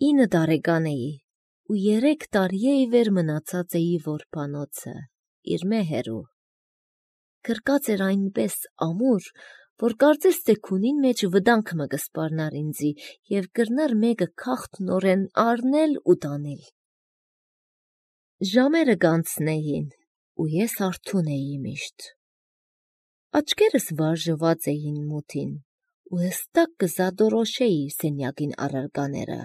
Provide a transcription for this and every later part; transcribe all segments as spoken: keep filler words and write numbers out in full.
ինը տարեկան էի ու երեք տարի է ի վեր մնացած էի որբանոցը, իր մեհերու։ Գրկած էր այնպես ամուր, որ կարծես թե քունին մեջ վտանգ մը կսպառնար ինձի և կրնար մեկը քաղთ նորեն առնել ու տանել։ Ժամերը կանցնեին ու ես արթուն էի միշտ։ Աչքերս վարժված էին մութին ու հստակ կզադորոշեի սենյակին առարկաները։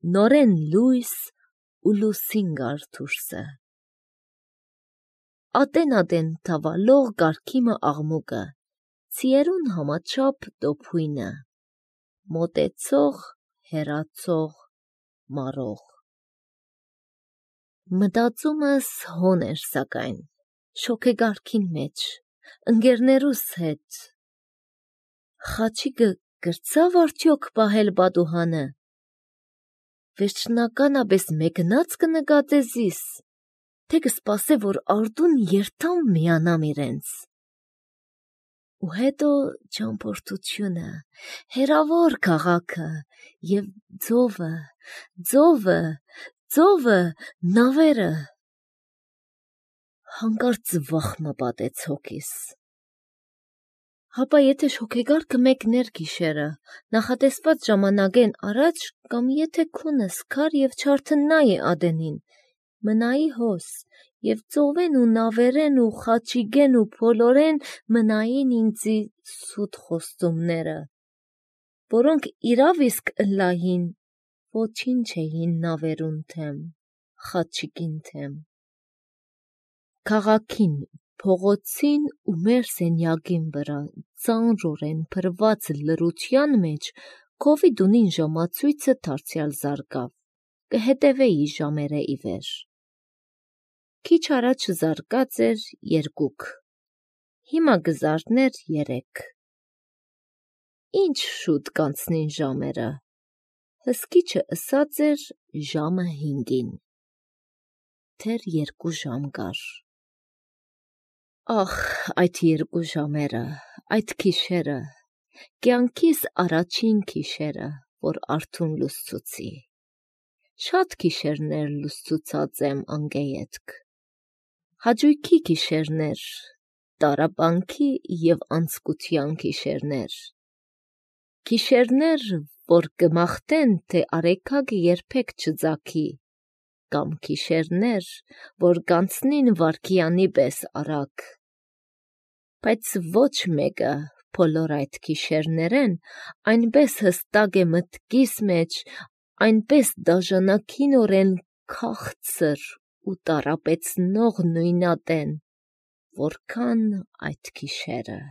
Նորեն լույս ու լուսին գար դուրսը։ Ատեն-ատեն թավալող կարգիմը աղմուկը, ցիերուն համաչափ տոփույնը, մոտեցող, հեռացող, մարող։ Մտածումս հոն էր սակայն, շոգեգարքին մեջ, ընկերներուս հետ։ Խաչիկը կրցավ արդյոք պահել պատուհանը։ Վերջնականապես մեկնած կնկատեզիս, թե կսպասե, որ արդուն երթամ միանամ իրենց։ Ու հետո ճամփորդությունը, հեռավոր քաղաքը և ծովը, ծովը, ծովը, նավերը։ Հանկարծ վախ մը պատեց հոգիս։ Հապա եթե շոգեգարքը մեկներ գիշերը, նախատեսված ժամանակեն առաջ, կամ եթե քունս քար և չարթնայի ադենին, մնայի հոս, և ծովեն ու նավերեն ու խաչիկեն ու փոլորեն մնային ինձի սուտ խոստումները, որոնք իրավ իսկ ըլլային, ոչինչ էին նավերուն թեմ, խաչիկին թեմ։ Քաղաքին, փողոցին ու մեր սենյակին վրա ծանրորեն փրված լռության մեջ քովիդունին ժամացույցը դարձյալ զարկավ, կհետևեի ժամերը ի վեր։ Քիչ առաջ զարկած էր երկուք, հիմա կզարթներ երեք։ Ինչ շուտ կանցնին ժամերը, հսկիչը ըսած էր ժամը հինգին։ Դեռ երկու ժամ կար։ Ախ, այդ երկու ժամերը, այդ գիշերը, կյանքիս առաջին գիշերը, որ արթուն լուսցուցի։ Շատ գիշերներ լուսցուցած եմ անգեյետք։ Հաճույքի գիշերներ, տառապանքի և անձկության գիշերներ։ Գիշերներ, որ կմաղթեն, թե արեգակը երբեք չծագի, կամ գիշերներ, որ կանցնին վայրկյանի պես արագ։ Բայց ոչ մեկը բոլոր այդ գիշերներեն այնպես հստակ է մտքիս մեջ, այնպես դաժանակինորեն քաղցր ու տառապեցնող նույնատեն, որքան այդ գիշերը։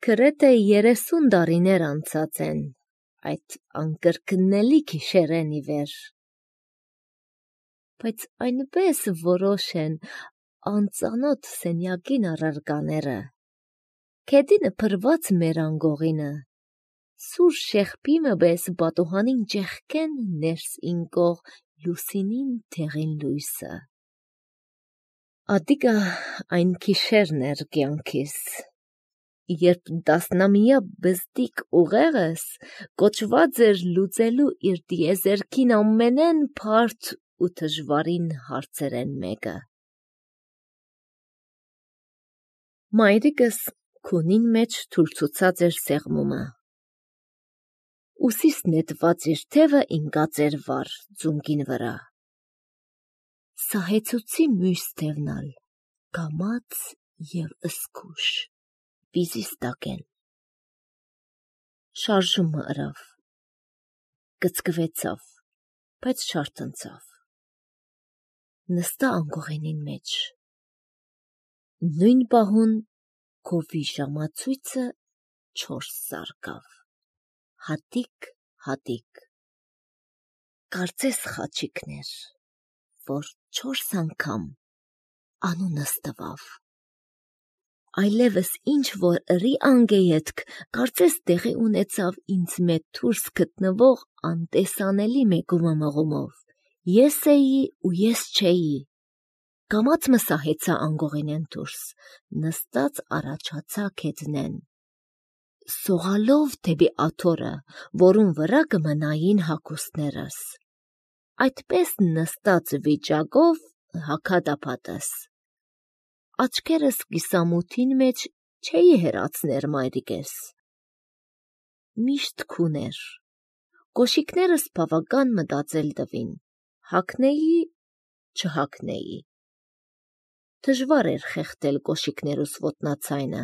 Գրեթե երեսուն տարիներ անցած են այդ անկրկնելի գիշերեն ի վեր։ Բայց այնպես որոշ են անծանոթ սենյակին առարկաները, գետինը փրված մեր անգողինը, սուր շեղբիմը պես պատուհանին ճեղքեն ներս ինկող լուսինին դեղին լույսը։ Ատիկա այն գիշերն էր կյանքիս, երբ տասնամյա բզդիկ ուղեղս կոչված էր լուծելու իր տիեզերքին ամենեն բարդ ու դժվարին հարցերեն մեկը։ Մայրիկս քունին մեջ թուրցուցած էր սեղմումը։ Ուսիս նետված իր թևը ինկած էր վար ձունկին վրա։ Սահեցուցի մյուս թևնալ, կամաց և զգույշ, վիզիս տակեն։ Շարժումը ըրավ, կծկվեցավ, բայց չարթնցավ։ Նստա անգողենին մեջ։ Նույն պահուն քովի ժամացույցը չորս զարկավ, հատիկ-հատիկ։ Կարծես խաչիկներ, որ չորս անգամ անունս տվավ։ Այլևս ինչ-որ ըրի անգեյետք, կարծես տեղի ունեցավ ինձ մետ դուրս գտնվող անտեսանելի մեկումը մղումով։ Ես էի ու ես չէի։ Կամաց մը սահեցա անգողինեն դուրս, նստած առաջացա գետնեն։ սողալով դեպի աթոռը, որուն վրա կմնային հագուստներս։ Այդպես նստած վիճակով հագադապատս։ Աչքերս կիսամութին մեջ չէի հեռացներ մայրիկես։ Միշտ քուներ։ Կոշիկներս բավական մտածել տվին, հագնեի, չհագնեի։ Դժվար էր խեղդել կոշիկներուս ոտնացայնը։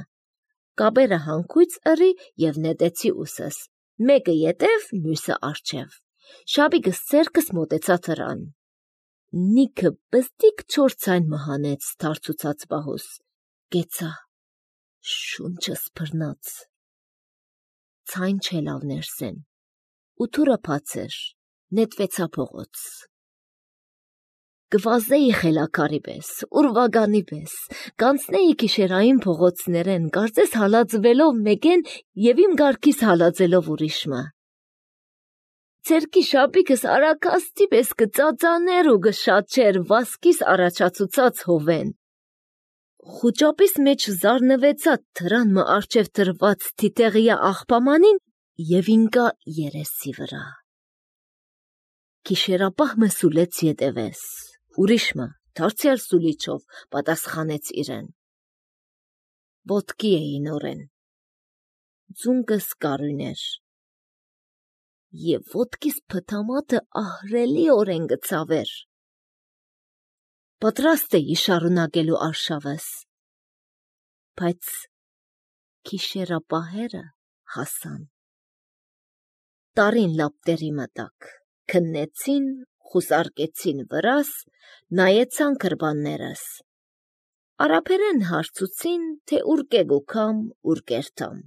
Կաբերը հանգույց ըրի և նետեցի ուսս, մեկը ետև, մյուսը առջև։ Շաբիկս ձեռքս մոտեցա թռան։ Նիքը բստիկ չոր ցայն մհանեց թարցուցած բահուս, կեցա, շունչս բռնաց։ Ցայն չելավ ներսեն, ու թուրը բաց էր, նետվեցա փողոց։ Կվազեի խելակարի պես, ուրվագանի պես, կանցնեի գիշերային փողոցներեն, կարծես հալածվելով մեկեն և իմ գարկիս հալածելով ուրիշմը։ Ձերքի շապիկս արաքաստի պես կծածաներ ու կշատչեր վասկիս առաջացուցած հովեն։ Խուճապիս մեջ զարնվեցա թրան մը արջև տրված թիտեղիա աղբամանին և ինկա երեսի վրա։ Գիշերապահ մը սուլեց ետևես, ուրիշմը դարձյալ սուլիչով պատասխանեց իրեն։ Ոտքի էի նորեն, ձունկս կարույն էր, և ոտքիս փթամաթը ահռելիորեն գցավեր։ Պատրաստ էի շարունակելու արշավս, բայց գիշերապահերը հասան։ Տարին լապտերի մտակ, քննեցին, խուսարկեցին վրաս, նայեցան գրբաններս։ Արաբերեն հարցուցին, թե ուր կեգուքամ, ուր կերտամ։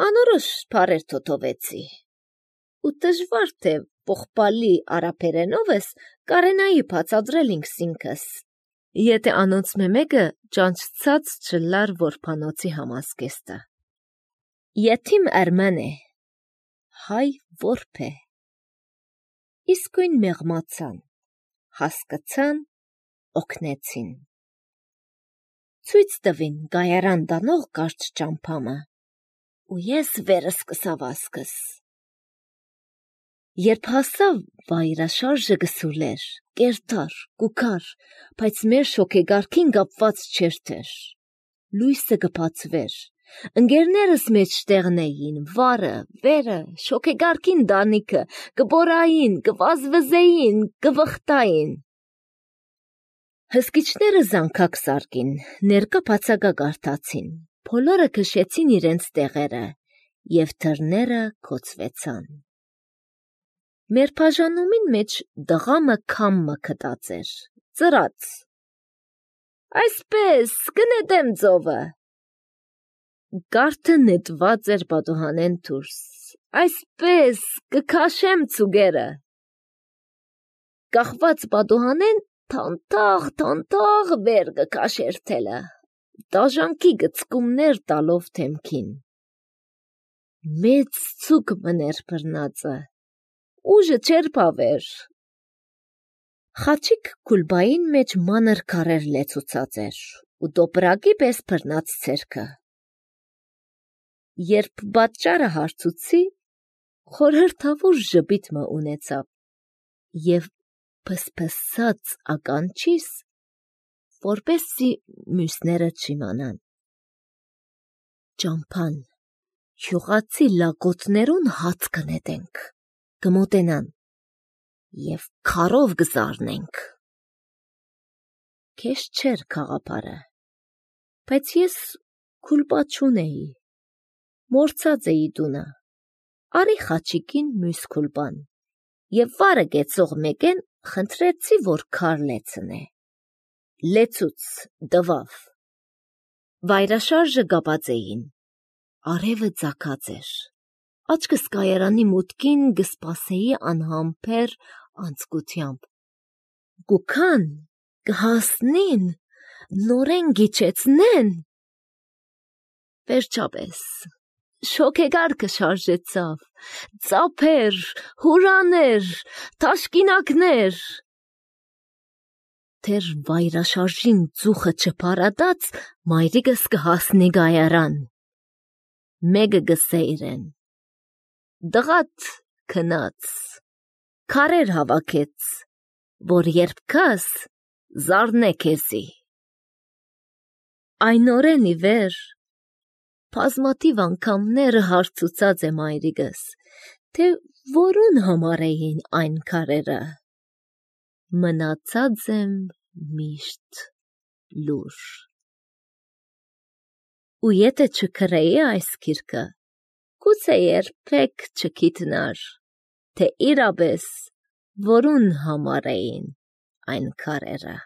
Անորոշ բառեր թոթովեցի, ու դժվար թե պողպալի արաբերենովս կարենայի բացատրել ինքս ինքս, եթե անոնց մեկը ճանճցած չլար որբանոցի համազգեստը։ Եթիմ Էրմեն է, հայ որբ է։ Իսկույն մեղմացան, հասկացան, օգնեցին։ Ցույց տվին գայարան տանող կարճ ճամփամը, ու ես վերս կսավասկս։ Երբ հասա վայրաշարժը գսուլեր, կերտար, կուքար, բայց մեր շոգեգարքին կապված չերթեր։ Լույսը կբացվեր, ընկերներս մեջտեղն էին, վարը, վերը, շոգեգարքին դանիքը, կբորային, կվազվզեին, կվխտային։ Հսկիչները զանքակ սարկին, ներկա բացակա կարդացին, բոլորը քշեցին իրենց տեղերը, և դռները գոցվեցան։ Մեր բաժանումին մեջ դղամը քամմը քտած էր, ծրած։ Այսպես, կնետեմ ծովը։ Կարդը նետված էր պատուհանեն դուրս, այսպես, կքաշեմ ծուգերը։ Կախված պատուհանեն թանթաղ, թանթաղ վեր կքաշեր թելը, դաժանքի գծկումներ տալով թեմքին։ Մեծ ծուգ մներ բռնածը, ուժը չեր բավեր։ Խաչիկ քուլբային մեջ մանր քարեր լեցուցած էր, ու դոպրակի պես բռնած ցերքը։ Երբ պատճառը հարցուցի, խորհրդավոր ժպիտ մը ունեցավ, և փսփսաց ականջիս, որպեսզի մյուսները չիմանան։ Ճամփան, յուղացի լակոտներուն հաց կնետենք, կմոտենան, և քարով կզարնենք։ Քեզ չէր քաղաքարը, բայց ես քուլպա չունեի, մորցած էի տունը, արի խաչիկին մյուս քուլպան, և վարը գեցող մեկեն խնդրեցի, որ քար լեցնե։ Լեցուց տվավ։ Վայրաշարժը կապած էին, արևը ծագած էր, աչքս կայարանի մուտքին կսպասեի անհամբեր անձկությամբ։ Գուքան, կհասնին, նորեն գիչեցնեն։ Վերջապես, շոգեգարքը շարժեցավ, ծափեր, հուրաներ, թաշկինակներ։ Դեռ վայրաշարժին ծուխը չփարատած, մայրիկս կհասնի գայարան։ մեկը գսեյրեն։ Դղատ քնած, քարեր հավաքեց, որ երբ կաս, զարնե քեզի։ Այն օրեն ի վեր, բազմաթիվ անգամները հարցուցած եմ այրիկս, թե որուն համար էին այն քարերը։ Մնացած եմ միշտ լուր։ Ու եթե չքրեի այս գիրքը, գուցե երբեք չգիտնար, թե իրապես որուն համար էին այն քարերը։